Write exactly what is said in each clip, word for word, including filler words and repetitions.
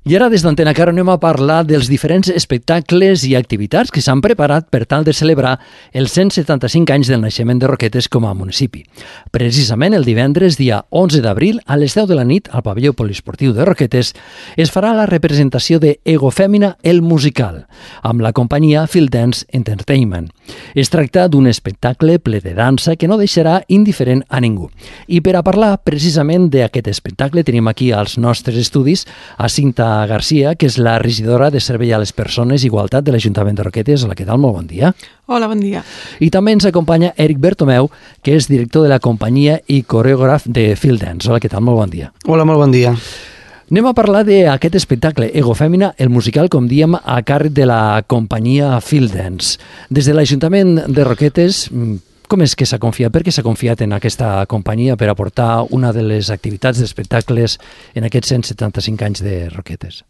I ara des d'Antena Caro anem a parlar dels diferents espectacles i activitats que s'han preparat per tal de celebrar els cent setanta-cinc anys del naixement de Roquetes com a municipi. Precisament el divendres, dia onze d'abril, a les deu de la nit, al pavelló poliesportiu de Roquetes, es farà la representació de Ego Fèmina, el musical, amb la companyia Field Dance Entertainment. Es tracta d'un espectacle ple de dansa que no deixarà indiferent a ningú. I per a parlar precisament d'aquest espectacle tenim aquí als nostres estudis a Cinta Garcia, que és la regidora de Servei a les Persones i Igualtat de l'Ajuntament de Roquetes. Hola, què tal? Molt bon dia. Hola, bon dia. I també ens acompanya Eric Bertomeu, que és director de la companyia i coreògraf de Field Dance. Hola, què tal? Molt bon dia. Hola, molt bon dia. Anem a parlar d'aquest espectacle, Ego Fèmina, el musical, com diem, a càrrec de la companyia Field Dance. Des de l'Ajuntament de Roquetes, com és que s'ha confiat? Per què s'ha confiat en aquesta companyia per aportar una de les activitats d'espectacles en aquests cent setanta-cinc anys de Roquetes?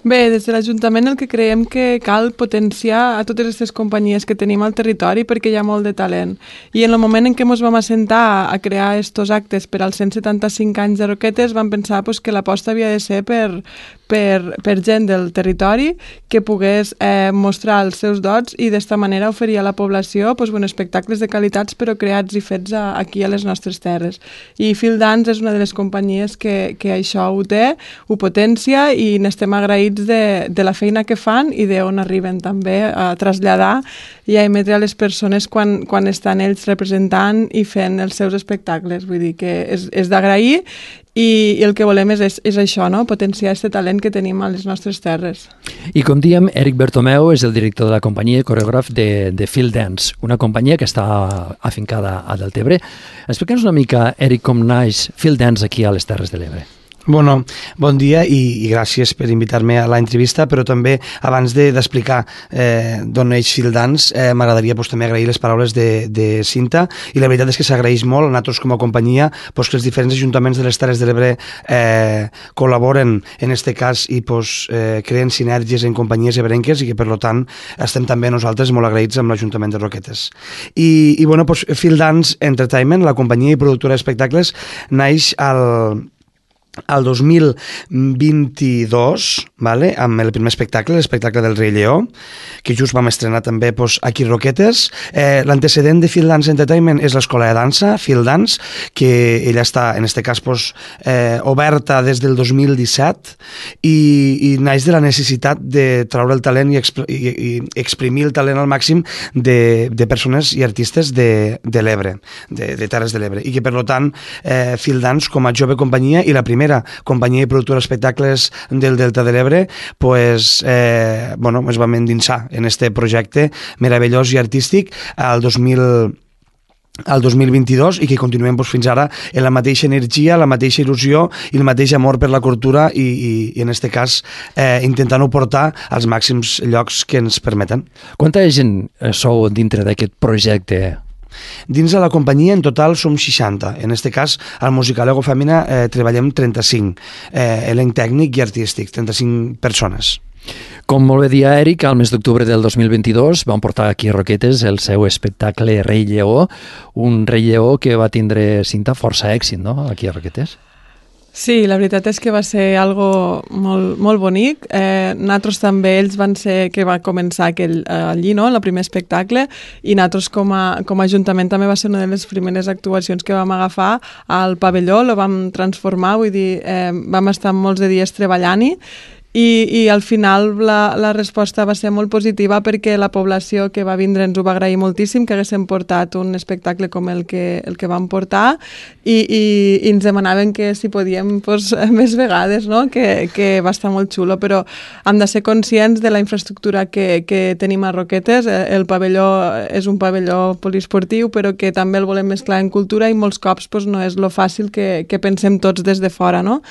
Bé, des de l'Ajuntament el que creiem que cal potenciar a totes aquestes companyies que tenim al territori perquè hi ha molt de talent. I en el moment en què ens vam assentar a crear aquests actes per als cent setanta-cinc anys de Roquetes vam pensar pues, que l'aposta havia de ser per, per, per gent del territori que pogués eh, mostrar els seus dots i d'esta manera oferir a la població pues, bueno, espectacles de qualitats però creats i fets a, aquí a les nostres terres. I Field Dance és una de les companyies que, que això ho té, ho potencia i n'estem agraïts De, de la feina que fan i d'on arriben també a traslladar i a emetre a les persones quan, quan estan ells representant i fent els seus espectacles. Vull dir que és, és d'agrair i, i el que volem és, és, és això, no? Potenciar aquest talent que tenim a les nostres terres. I com diem, Eric Bertomeu és el director de la companyia i coreògraf de, de Field Dance, una companyia que està afincada a Deltebre. Explica'ns una mica, Eric, com naix Field Dance aquí a les Terres de l'Ebre. Bueno, bon dia i, i gràcies per invitar-me a l'entrevista, però també abans d'explicar de, eh, d'on neix Field Dance, eh, m'agradaria pues, també agrair les paraules de, de Cinta, i la veritat és que s'agraeix molt a nosaltres com a companyia pues, que els diferents ajuntaments de les Terres de l'Ebre eh, col·laboren en aquest cas i pues, eh, creen sinergies en companyies ebrenques i que per tant estem també nosaltres molt agraïts amb l'Ajuntament de Roquetes. I, i bueno, pues, Field Dance Entertainment, la companyia i productora d'espectacles, naix al el dos mil vint-i-dos, vale, amb el primer espectacle, l'espectacle del Rei Lleó, que just vam estrenar també pues, aquí a Roquetes. Eh, L'antecedent de Field Dance Entertainment és l'escola de dansa, Field Dance, que ella està, en aquest cas, pues, eh, oberta des del dos mil disset i, i naix de la necessitat de treure el talent i, exp i, i exprimir el talent al màxim de, de persones i artistes de, de l'Ebre, de, de Terres de l'Ebre, i que, per tant, eh, Field Dance, com a jove companyia i la primera companyia i productora d'espectacles del Delta de l'Ebre, pues, eh, bueno, es vam endinsar en este projecte meravellós i artístic al dos mil al dos mil vint-i-dos i que continuem pues, fins ara en la mateixa energia, la mateixa il·lusió i el mateix amor per la cultura i, i, i en aquest cas eh, intentant-ho portar als màxims llocs que ens permeten. Quanta gent sou dintre d'aquest projecte? Dins de la companyia en total som seixanta. En aquest cas, al musical Ego Fèmina eh, treballem trenta-cinc, eh, elenc tècnic i artístic, trenta-cinc persones. Com molt bé dia Eric, al mes d'octubre del dos mil vint-i-dos van portar aquí a Roquetes el seu espectacle Rei Lleó, un Rei Lleó que va tindre, Cinta, força èxit, no?, aquí a Roquetes. Sí, la veritat és que va ser algo molt, molt bonic. Eh, nosaltres també, ells van ser que va començar aquell, eh, allí, no?, el primer espectacle, i nosaltres com a, com a Ajuntament també va ser una de les primeres actuacions que vam agafar al pavelló, lo vam transformar, vull dir, eh, vam estar molts de dies treballant-hi, I, i al final la, la resposta va ser molt positiva perquè la població que va vindre ens ho va agrair moltíssim, que haguéssim portat un espectacle com el que, el que vam portar i, i, i ens demanaven que si podíem pues, més vegades, no? que, que va estar molt xulo, però hem de ser conscients de la infraestructura que, que tenim a Roquetes. El pavelló és un pavelló poliesportiu, però que també el volem mesclar en cultura i molts cops pues, no és lo fàcil que, que pensem tots des de fora. No?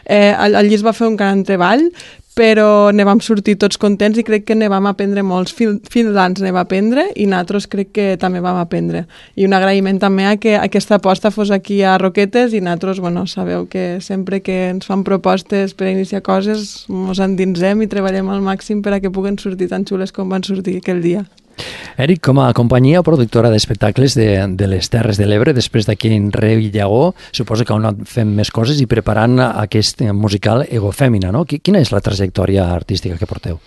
Eh, allí es va fer un gran treball, però ne vam sortir tots contents i crec que ne vam aprendre molts. Field Dance ne va aprendre i nosaltres crec que també vam aprendre. I un agraïment també a que aquesta aposta fos aquí a Roquetes i nosaltres, bueno, sabeu que sempre que ens fan propostes per iniciar coses ens endinsem i treballem al màxim per a que puguen sortir tan xules com van sortir aquell dia. Eric, com a companyia productora d'espectacles de, de les Terres de l'Ebre, després d'aquell Rei Llagó, suposo que heu anat fent més coses i preparant aquest musical Ego Fèmina, no? Quina és la trajectòria artística que porteu?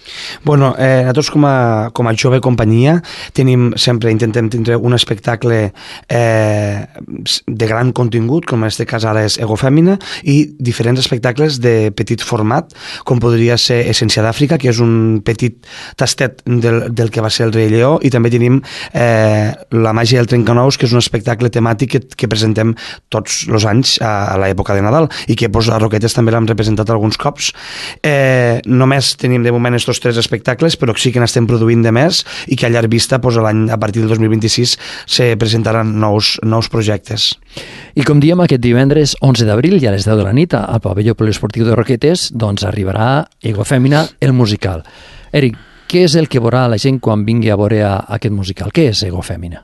Bueno, eh, nosaltres com a, com a jove companyia tenim, sempre intentem tindre un espectacle eh, de gran contingut, com en aquest cas ara és Ego Fèmina, i diferents espectacles de petit format, com podria ser Essència d'Àfrica, que és un petit tastet del, del que va ser el Rei Lleó, i també tenim eh, La màgia del trencanous, que és un espectacle temàtic que, que presentem tots els anys a, a l'època de Nadal i que pues, a Roquetes també l'hem representat alguns cops. Eh, només tenim de moment estos tres espectacles, però sí que n'estem produint de més i que a llarg vista pues, a, l'any, a partir del dos mil vint-i-sis se presentaran nous, nous projectes. I com diem, aquest divendres onze d'abril i a les deu de la nit al pavelló poliesportiu de Roquetes doncs arribarà Ego Fèmina, el musical. Eric, què és el que veurà la gent quan vingui a veure aquest musical? Què és Ego Fèmina?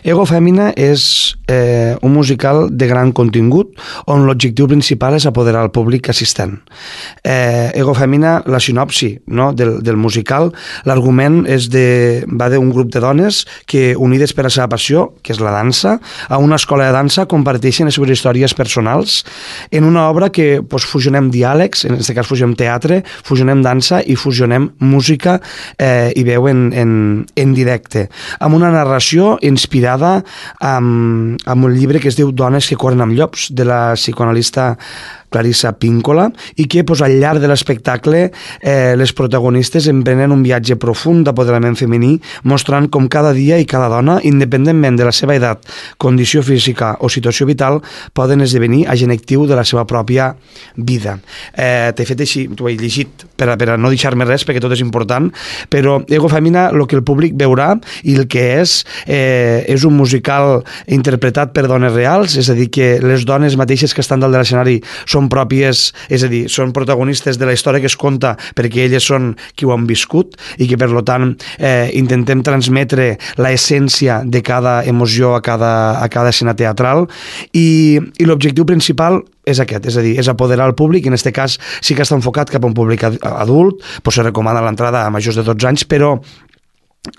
Ego Fèmina és eh, un musical de gran contingut on l'objectiu principal és apoderar el públic assistent. Eh, Ego Fèmina, la sinopsi no, del, del musical, l'argument és de, va d'un grup de dones que, unides per la seva passió, que és la dansa, a una escola de dansa comparteixen les seves històries personals en una obra que pues, fusionem diàlegs, en aquest cas fusionem teatre, fusionem dansa i fusionem música eh, i veu en, en, en directe, amb una narració inspirada inspirada amb, amb un llibre que es diu Dones que corren amb llops, de la psicoanalista Clarissa Píncola, i que pues, al llarg de l'espectacle eh, les protagonistes emprenen un viatge profund d'apoderament femení, mostrant com cada dia i cada dona, independentment de la seva edat, condició física o situació vital, poden esdevenir agent actiu de la seva pròpia vida. Eh, T'he fet així, t'ho he llegit per a, per a no deixar-me res, perquè tot és important, però Ego Fèmina, el que el públic veurà i el que és, eh, és un musical interpretat per dones reals, és a dir, que les dones mateixes que estan dalt de l'escenari són pròpies, és a dir, són protagonistes de la història que es conta perquè elles són qui ho han viscut i que per tant eh, intentem transmetre l'essència de cada emoció a cada, a cada escena teatral i, i l'objectiu principal és aquest, és a dir, és apoderar el públic, en aquest cas sí que està enfocat cap a un públic adult, doncs se recomana l'entrada a majors de dotze anys, però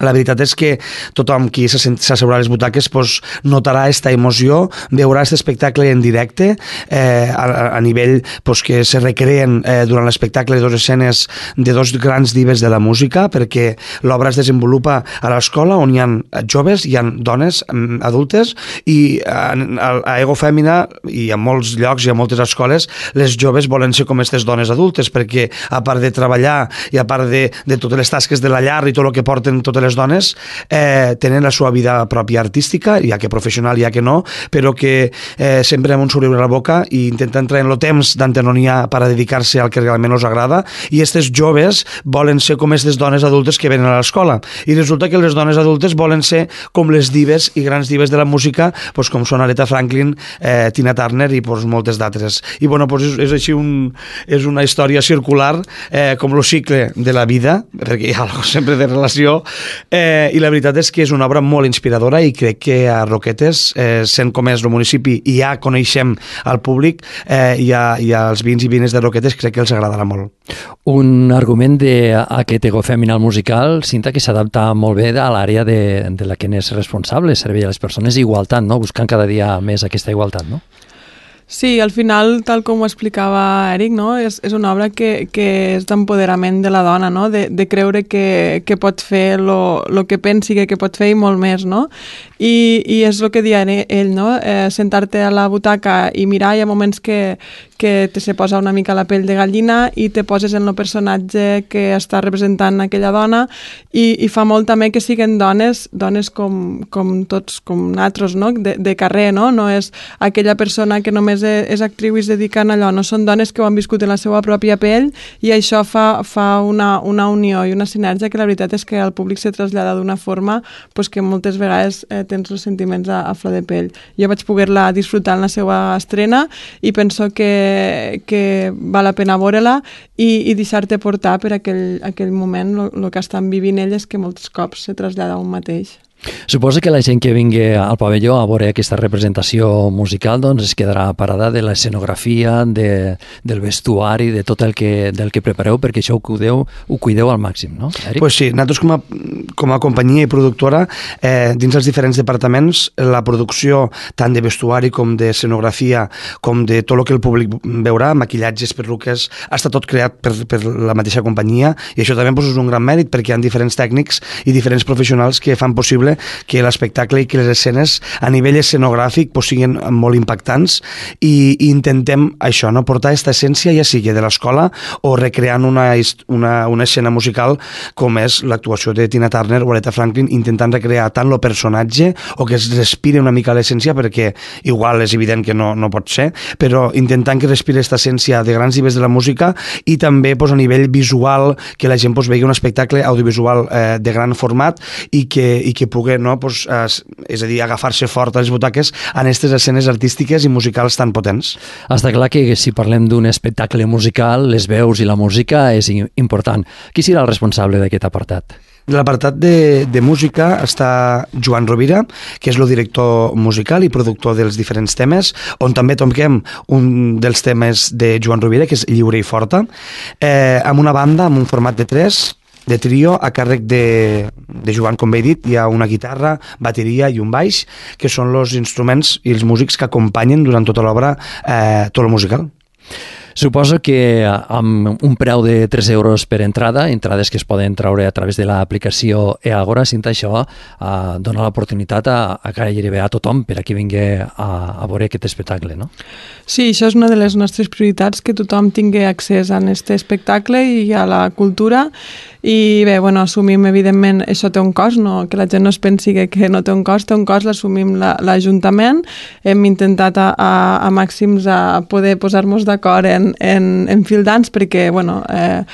la veritat és que tothom qui s'asseurà a les butaques pues, notarà aquesta emoció, veurà aquest espectacle en directe, eh, a, a nivell pues, que se recreen eh, durant l'espectacle dues escenes de dos grans divers de la música, perquè l'obra es desenvolupa a l'escola on hi ha joves, hi ha dones adultes, i a, a Ego Fèmina i a molts llocs i a moltes escoles les joves volen ser com aquestes dones adultes, perquè a part de treballar i a part de, de totes les tasques de la llar i tot el que porten tot les dones eh, tenen la seva vida pròpia artística, ja que professional, ja que no, però que eh, sempre amb un somriure a la boca i intenten treure el temps d'antenonia per a dedicar-se al que realment els agrada, i aquestes joves volen ser com aquestes dones adultes que venen a l'escola, i resulta que les dones adultes volen ser com les dives i grans dives de la música, pues, com són Aretha Franklin, eh, Tina Turner i pues, moltes d'altres. I bueno, pues, és, és així un, és una història circular, eh, com el cicle de la vida, perquè hi ha algo sempre de relació. Eh, i la veritat és que és una obra molt inspiradora i crec que a Roquetes, eh, sent com és el municipi i ja coneixem al públic eh, i, a, i als vins i vines de Roquetes, crec que els agradarà molt. Un argument d'aquest Ego Fèmina musical, Cinta, que s'adapta molt bé a l'àrea de, de la que n'és responsable, servei a les persones, igualtat, no? Buscant cada dia més aquesta igualtat, no? Sí, al final, tal com ho explicava Eric, no? és, és una obra que, que és d'empoderament de la dona, no? de, de creure que, que pot fer el que pensi que, que pot fer i molt més, no? I, i és el que deia ell, no? Eh, sentar-te a la butaca i mirar, hi ha moments que, que te se posa una mica la pell de gallina i te poses en el personatge que està representant aquella dona, i, i fa molt també que siguin dones, dones com, com tots, com nosaltres, no? de, de carrer, no? No és aquella persona que només és actriu i es dedica a allò, no, són dones que ho han viscut en la seva pròpia pell, i això fa, fa una, una unió i una sinergia que la veritat és que al públic se trasllada d'una forma pues, que moltes vegades eh, tens els sentiments a, a flor de pell. Jo vaig poder-la disfrutar en la seva estrena i penso que, que val la pena veure-la i, i deixar-te portar per aquell, aquell moment, el que estan vivint elles, que molts cops se trasllada un mateix. Suposo que la gent que vingui al pavelló a veure aquesta representació musical doncs es quedarà parada de l'escenografia, de, del vestuari, de tot el que, del que prepareu, perquè això ho cuideu, ho cuideu al màxim, no, Eric? Pues sí, nosaltres com a, com a companyia i productora, eh, dins els diferents departaments, la producció tant de vestuari com d'escenografia, com de tot el que el públic veurà, maquillatges, perruques, ha estat tot creat per, per la mateixa companyia, i això també pues, és un gran mèrit perquè hi ha diferents tècnics i diferents professionals que fan possible que l'espectacle i que les escenes a nivell escenogràfic pues, siguin molt impactants i, i intentem això, no? Portar aquesta essència ja sigui de l'escola o recreant una, una, una escena musical com és l'actuació de Tina Turner o Aretha Franklin, intentant recrear tant el personatge o que es respire una mica l'essència, perquè igual és evident que no, no pot ser, però intentant que respire aquesta essència de grans nivells de la música i també pues, a nivell visual, que la gent pues, vegi un espectacle audiovisual eh, de gran format i que, i que pugui, no, pues, eh, és a dir, agafar-se fort a les butaques en aquestes escenes artístiques i musicals tan potents. Està clar que si parlem d'un espectacle musical, les veus i la música és important. Qui serà el responsable d'aquest apartat? De l'apartat de, de música està Joan Rovira, que és el director musical i productor dels diferents temes, on també toquem un dels temes de Joan Rovira, que és Lliure i Forta, eh, amb una banda, amb un format de tres, de trio, a càrrec de, de Joan, com bé he dit. Hi ha una guitarra, bateria i un baix, que són els instruments i els músics que acompanyen durant tota l'obra eh, tot el musical. Suposo que amb un preu de tres euros per entrada, entrades que es poden treure a través de l'aplicació eAgora, Cinta, això eh, dona l'oportunitat a, a gairebé a tothom per a qui vingui a, a veure aquest espectacle, no? Sí, això és una de les nostres prioritats, que tothom tingui accés a aquest espectacle i a la cultura. I bé, bueno, assumim, evidentment, això té un cost, no? Que la gent no es pensi que, que no té un cost, té un cost, l'assumim l'Ajuntament. Hem intentat a, a, a màxims a poder posar-nos d'acord en, en, en fil d'ans, perquè, bueno, eh,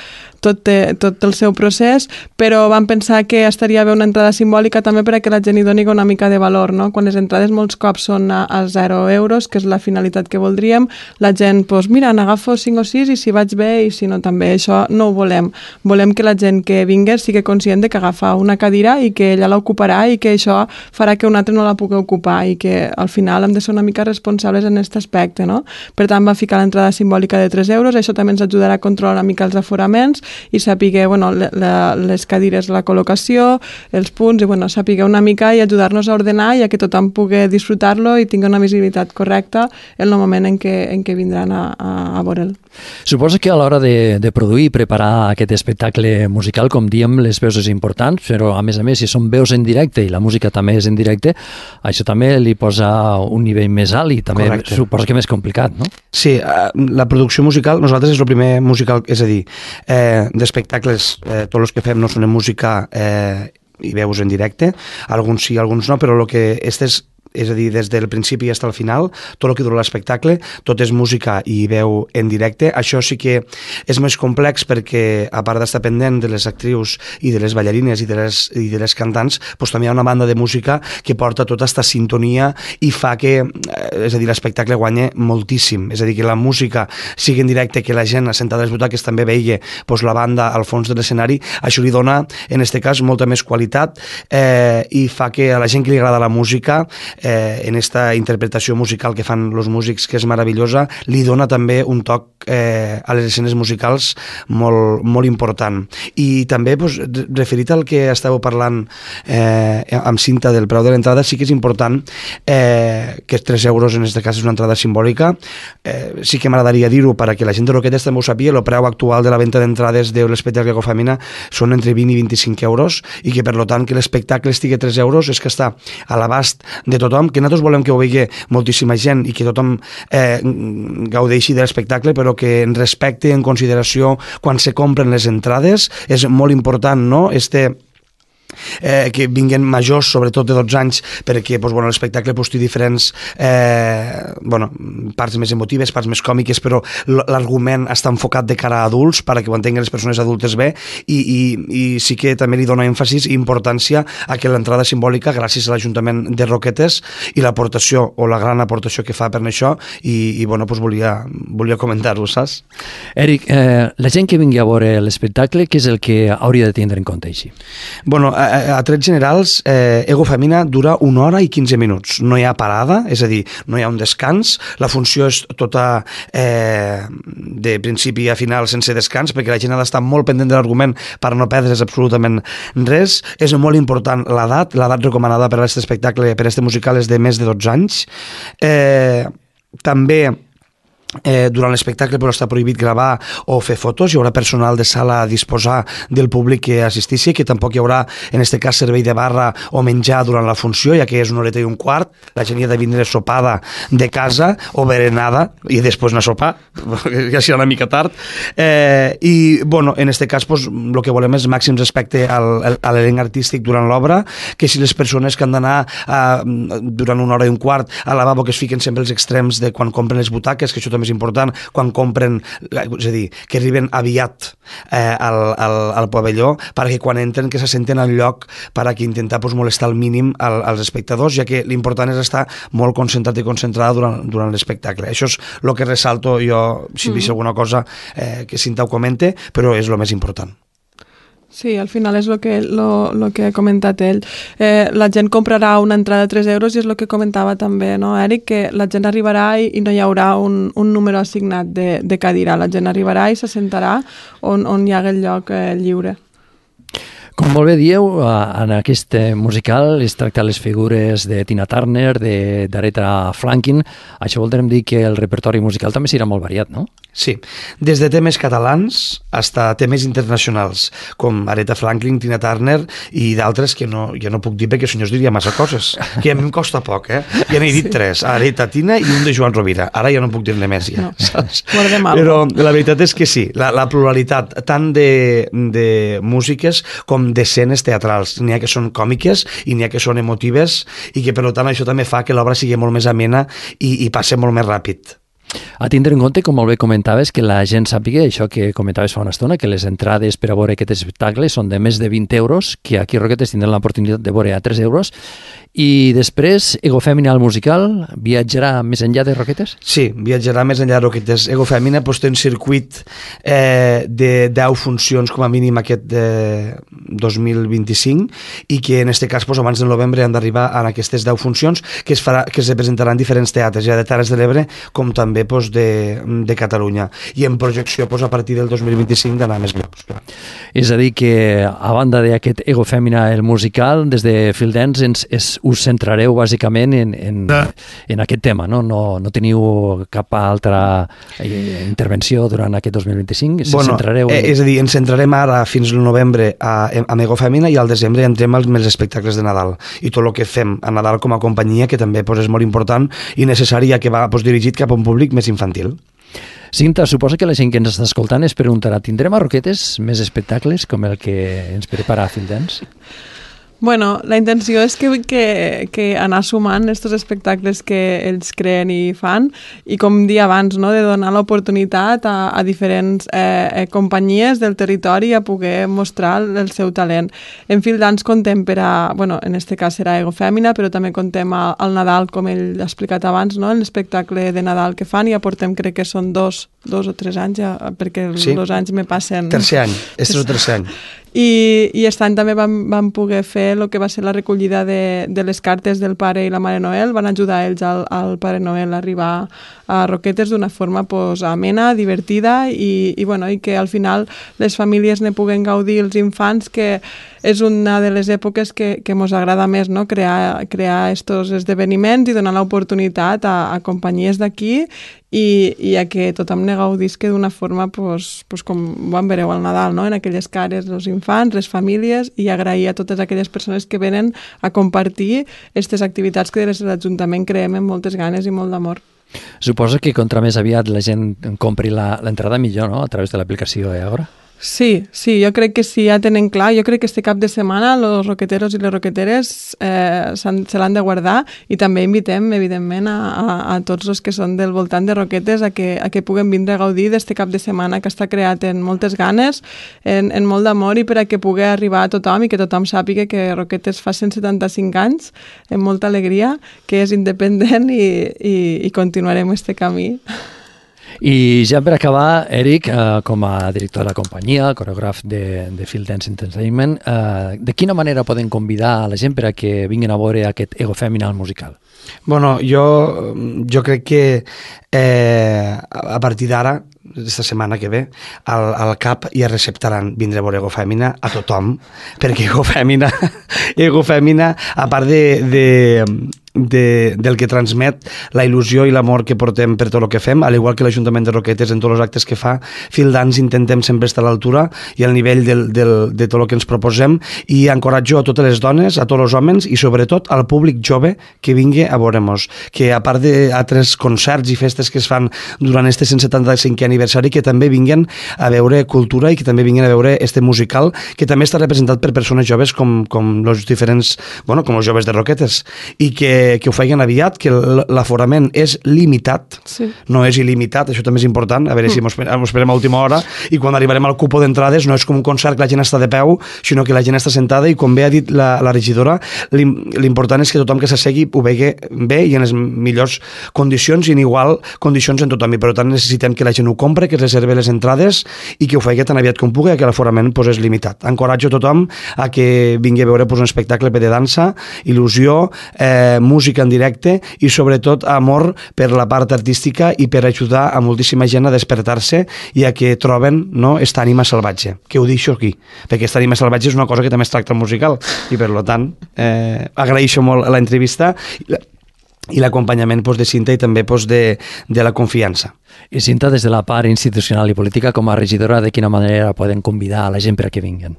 tot té, tot té el seu procés, però vam pensar que estaria bé una entrada simbòlica també perquè la gent hi doni una mica de valor, no? Quan les entrades molts cops són a, a zero euros, que és la finalitat que voldríem, la gent, doncs mira, n'agafo cinc o sis i si vaig bé i si no també, això no ho volem. Volem que la gent que vingui sigui conscient de que agafa una cadira i que ella l'ocuparà i que això farà que un altre no la pugui ocupar i que al final hem de ser una mica responsables en aquest aspecte, no? Per tant, va ficar l'entrada simbòlica de tres euros, això també ens ajudarà a controlar una mica els aforaments i saber, bueno, la, les cadires, la col·locació, els punts, i bueno, saber una mica i ajudar-nos a ordenar i a que tothom pugui disfrutar-lo i tingui una visibilitat correcta en el moment en què, en què vindran a, a, a veure'l. Suposo que a l'hora de, de produir i preparar aquest espectacle musical, com diem, les veus és important, però a més a més, si són veus en directe i la música també és en directe, això també li posa un nivell més alt i també Correcte. Suposo que més complicat, no? Sí, la producció musical, nosaltres és el primer musical, és a dir, eh, d'espectacles, eh, tots els que fem no són en música eh, i veus en directe, alguns sí, alguns no, però el que és és a dir, des del principi fins al final, tot el que dura l'espectacle, tot és música i veu en directe. Això sí que és més complex perquè, a part d'estar pendent de les actrius i de les ballarines i de les, i de les cantants, doncs també hi ha una banda de música que porta tota aquesta sintonia i fa que, és a dir, l'espectacle guanya moltíssim. És a dir, que la música sigui en directe, que la gent assentada a les butaques també veia doncs, la banda al fons de l'escenari, això li dona, en aquest cas, molta més qualitat eh, i fa que a la gent que li agrada la música Eh, en esta interpretació musical que fan els músics, que és meravellosa, li dona també un toc eh, a les escenes musicals molt, molt important. I també, pues, referit al que estàveu parlant eh, amb Cinta del preu de l'entrada, sí que és important eh, que tres euros en aquest cas és una entrada simbòlica. Eh, sí que m'agradaria dir-ho perquè la gent de Roquetes també ho sàpiga, el preu actual de la venda d'entrades de l'espectacle Ecofamina són entre vint i vint-i-cinc euros i que per tant que l'espectacle estigui a tres euros és que està a l'abast de tothom, que nosaltres volem que ho vegi moltíssima gent i que tothom eh, gaudeixi de l'espectacle, però que en respecte i en consideració quan se compren les entrades és molt important, no? Este Eh, que vinguen majors, sobretot de dotze anys, perquè pues, bueno, l'espectacle pues, té diferents eh, bueno, parts més emotives, parts més còmiques, però l'argument està enfocat de cara a adults perquè ho entenguin les persones adultes bé i, i, i sí que també li dona èmfasis i importància a que l'entrada simbòlica, gràcies a l'Ajuntament de Roquetes i l'aportació o la gran aportació que fa per això i, i bueno, pues, volia, volia comentar-ho, saps? Eric, eh, la gent que vingui a veure l'espectacle, què és el que hauria de tindre en compte així? Bueno, a, a trets generals, eh, Ego Femina dura una hora i quinze minuts. No hi ha parada, és a dir, no hi ha un descans. La funció és tota eh, de principi a final sense descans, perquè la gent ha d'estar molt pendent de l'argument per no perdre's absolutament res. És molt important l'edat. L'edat recomanada per a aquest espectacle, per a aquest musical, és de més de dotze anys. Eh, també Eh, durant l'espectacle però està prohibit gravar o fer fotos, hi haurà personal de sala a disposar del públic que assistissi, que tampoc hi haurà, en aquest cas, servei de barra o menjar durant la funció, ja que és una horeta i un quart, la gent hi ha de vindre sopada de casa o berenada i després anar a sopar, ja serà una mica tard, eh, i bueno, en aquest cas pues, el que volem és màxim respecte al, a l'elenc artístic durant l'obra, que si les persones que han d'anar durant una hora i un quart al lavabo, que es fiquen sempre els extrems de quan compren les butaques, que això també és important, quan compren, és a dir, que arriben aviat eh, al, al, al pavelló, perquè quan entren que se senten al lloc per a que intentar pues, molestar al mínim al, als espectadors, ja que l'important és estar molt concentrat i concentrada durant, durant l'espectacle. Això és el que ressalto jo, si mm. vist alguna cosa eh, que Cinta ho comente, però és el més important. Sí, al final és el que, lo, lo que ha comentat ell. Eh, la gent comprarà una entrada de tres euros i és el que comentava també, no, Eric? Que la gent arribarà i, i no hi haurà un, un número assignat de, de cadira. La gent arribarà i se sentarà on, on hi ha el lloc eh, lliure. Com molt bé dieu, en aquest musical es tracta les figures de Tina Turner, d'Aretha Franklin. Això voldrem dir que el repertori musical també serà molt variat, no? Sí, des de temes catalans fins a temes internacionals, com Aretha Franklin, Tina Turner i d'altres que no, ja no puc dir perquè senyors diria massa coses, que a mi em costa poc, eh? Ja n'he dit sí. tres, Aretha, Tina i un de Joan Rovira. Ara ja no puc dir-ne més, ja. No, saps? Però la veritat és que sí, la, la pluralitat tant de, de músiques com d'escenes teatrals. N'hi ha que són còmiques i n'hi ha que són emotives i que per tant això també fa que l'obra sigui molt més amena i, i passi molt més ràpid. A tindre en compte, com molt bé comentaves, que la gent sàpiga això que comentaves fa una estona, que les entrades per a veure aquest espectacle són de més de vint euros, que aquí a Roquetes tindran l'oportunitat de veure a tres euros, i després Ego Femina, el musical, viatjarà més enllà de Roquetes? Sí, viatjarà més enllà de Roquetes. Ego Femina pues, té un circuit eh, de deu funcions com a mínim aquest de dos mil vint-i-cinc i que en aquest cas pues, abans del novembre han d'arribar a aquestes deu funcions que es, farà, que es representaran en diferents teatres, ja de Terres de l'Ebre com també pues, de, de Catalunya. I en projecció pues, a partir del dos mil vint-i-cinc d'anar més llocs. És a dir que a banda d'aquest Ego Femina, el musical, des de Field Dance ens, es, us centrareu bàsicament en, en, en aquest tema, no? No, no teniu cap altra eh, intervenció durant aquest dos mil vint-i-cinc? Se bueno, centrareu en... és a dir, ens centrarem ara fins al novembre a, a Ego Femina i al desembre entrem als els espectacles de Nadal i tot el que fem a Nadal com a companyia, que també pues, és molt important i necessari, ja que va pues, dirigit cap a un públic més infantil. Cinta, suposa que la gent que ens està escoltant es preguntarà, tindrem a Roquetes més espectacles com el que ens prepara Field Dance? Bueno, la intenció és que, que, que anar sumant aquests espectacles que ells creen i fan i com dia abans, no?, de donar l'oportunitat a, a diferents eh, companyies del territori a poder mostrar el seu talent. En Field Dance contem per a, bueno, en este cas serà Ego Femina, però també contem a, al Nadal, com ell ha explicat abans, no?, l'espectacle de Nadal que fan i aportem, crec que són dos, dos o tres anys, ja, perquè els sí. dos anys me passen... Tercer any, este és el tercer any. I, i aquest any també vam, vam poder fer el que va ser la recollida de, de les cartes del Pare i la Mare Noel. Van ajudar ells al, al Pare Noel a arribar a Roquetes d'una forma pues, amena, divertida i, i, bueno, i que al final les famílies ne puguen gaudir, els infants, que és una de les èpoques que, que mos agrada més, no?, crear, crear estos esdeveniments i donar l'oportunitat a, a companyies d'aquí i, i a que tothom ne gaudisca d'una forma pues, pues, com vam veureu al Nadal, no?, en aquelles cares els infants, les famílies, i agrair a totes aquelles persones que venen a compartir aquestes activitats que des de l'Ajuntament creem amb moltes ganes i molt d'amor. Suposo que contra més aviat la gent compri l'entrada millor, no?, a través de l'aplicació Agora? Sí, sí, jo crec que sí, ja tenen clar. Jo crec que este cap de setmana els roqueteros i les roqueteres eh, se l'han de guardar i també invitem, evidentment, a, a, a tots els que són del voltant de Roquetes a que, a que puguen vindre a gaudir d'este cap de setmana que està creat en moltes ganes, en, en molt d'amor i per a que pugui arribar a tothom i que tothom sàpiga que Roquetes fa cent setanta-cinc anys, amb molta alegria, que és independent i, i, i continuarem este camí. I ja per acabar, Eric, eh, com a director de la companyia, coreògraf de, de Field Dance Entertainment, eh, de quina manera poden convidar a la gent per a que vinguin a veure aquest Ego Feminal musical? Bueno, jo, jo crec que eh, a partir d'ara, aquesta setmana que ve, al, al C A P ja receptaran vindre a veure Ego Femina a tothom, perquè Ego Femina, Ego Femina, a part de, de, de, del que transmet la il·lusió i l'amor que portem per tot el que fem, al igual que l'Ajuntament de Roquetes en tots els actes que fa, Field Dance intentem sempre estar a l'altura i al nivell del, del, de tot el que ens proposem, i encoratjo a totes les dones, a tots els homes i sobretot al públic jove que vingui a veure-nos, que a part d'altres concerts i festes que es fan durant este cent setanta-cinquè aniversari, que també vinguen a veure cultura i que també vinguin a veure este musical, que també està representat per persones joves com, com els diferents, bueno, com els joves de Roquetes, i que, que ho feien aviat, que l'aforament és limitat, sí. No és il·limitat, això també és important, a veure mm. si mos esperem a última hora, i quan arribarem al cupo d'entrades no és com un concert que la gent està de peu, sinó que la gent està sentada, i com bé ha dit la, la regidora, l'important és que tothom que s'assegui ho vegi bé i en les millors condicions i en igual condicions en tothom, i per tant necessitem que la gent ho compre, que reserve les entrades i que ho faci tan aviat com pugui, que l'aforament pues, és limitat. Encoratjo a tothom a que vingui a veure pues, un espectacle de dansa, il·lusió, eh, música en directe i sobretot amor per la part artística i per ajudar a moltíssima gent a despertar-se i a que troben, no, esta ànima salvatge, que ho deixo aquí, perquè esta ànima salvatge és una cosa que també es tracta al musical i per tant eh, agraeixo molt l'entrevista i l'acompanyament pues, de Cinta i també pues, de, de la confiança. I Cinta, des de la part institucional i política, com a regidora, de quina manera poden convidar a la gent per a que vinguin?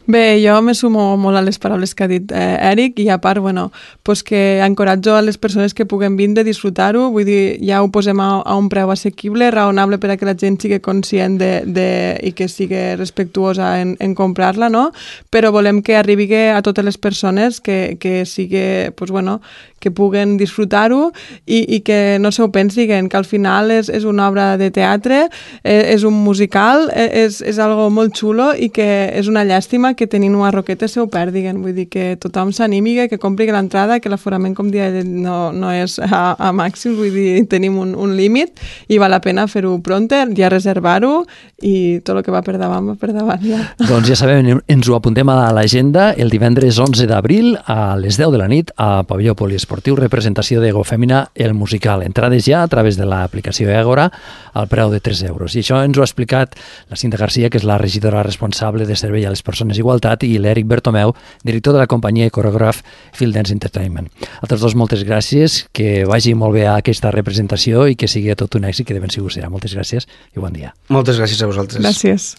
Bé, jo me sumo molt a les paraules que ha dit eh, Eric, i a part, bueno, pues que encoratjo a les persones que puguen vindre a disfrutar-ho, vull dir, ja ho posem a, a un preu assequible, raonable per a que la gent sigui conscient de, de, i que sigui respectuosa en, en comprar-la, no? Però volem que arribi a totes les persones, que, que sigui, pues bueno, que puguen disfrutar-ho i, i que no s'ho pensin, que al final és, és una obra de teatre, és, és un musical, és, és algo molt xulo i que és una llàstima que tenint una roqueta se ho perdiguen. Vull dir que tothom s'animi, que compri l'entrada, que l'aforament, com dia, no, no és a, a màxim, vull dir, tenim un, un límit i val la pena fer-ho pronte, ja reservar-ho i tot el que va per davant, va per davant ja. Doncs ja sabem, ens ho apuntem a l'agenda el divendres onze d'abril a les deu de la nit a Pavelló Poliesportiu, representació d'Ego Femina, el musical. Entrades ja a través de l'aplicació Egora al preu de tres euros. I això ens ho ha explicat la Cinta Garcia, que és la regidora responsable de servei a les persones Igualtat, i l'Eric Bertomeu, director de la companyia i coreògraf Field Dance Entertainment. A tots dos, moltes gràcies, que vagi molt bé a aquesta representació i que sigui tot un èxit, que de ben segur serà. Moltes gràcies i bon dia. Moltes gràcies a vosaltres. Gràcies.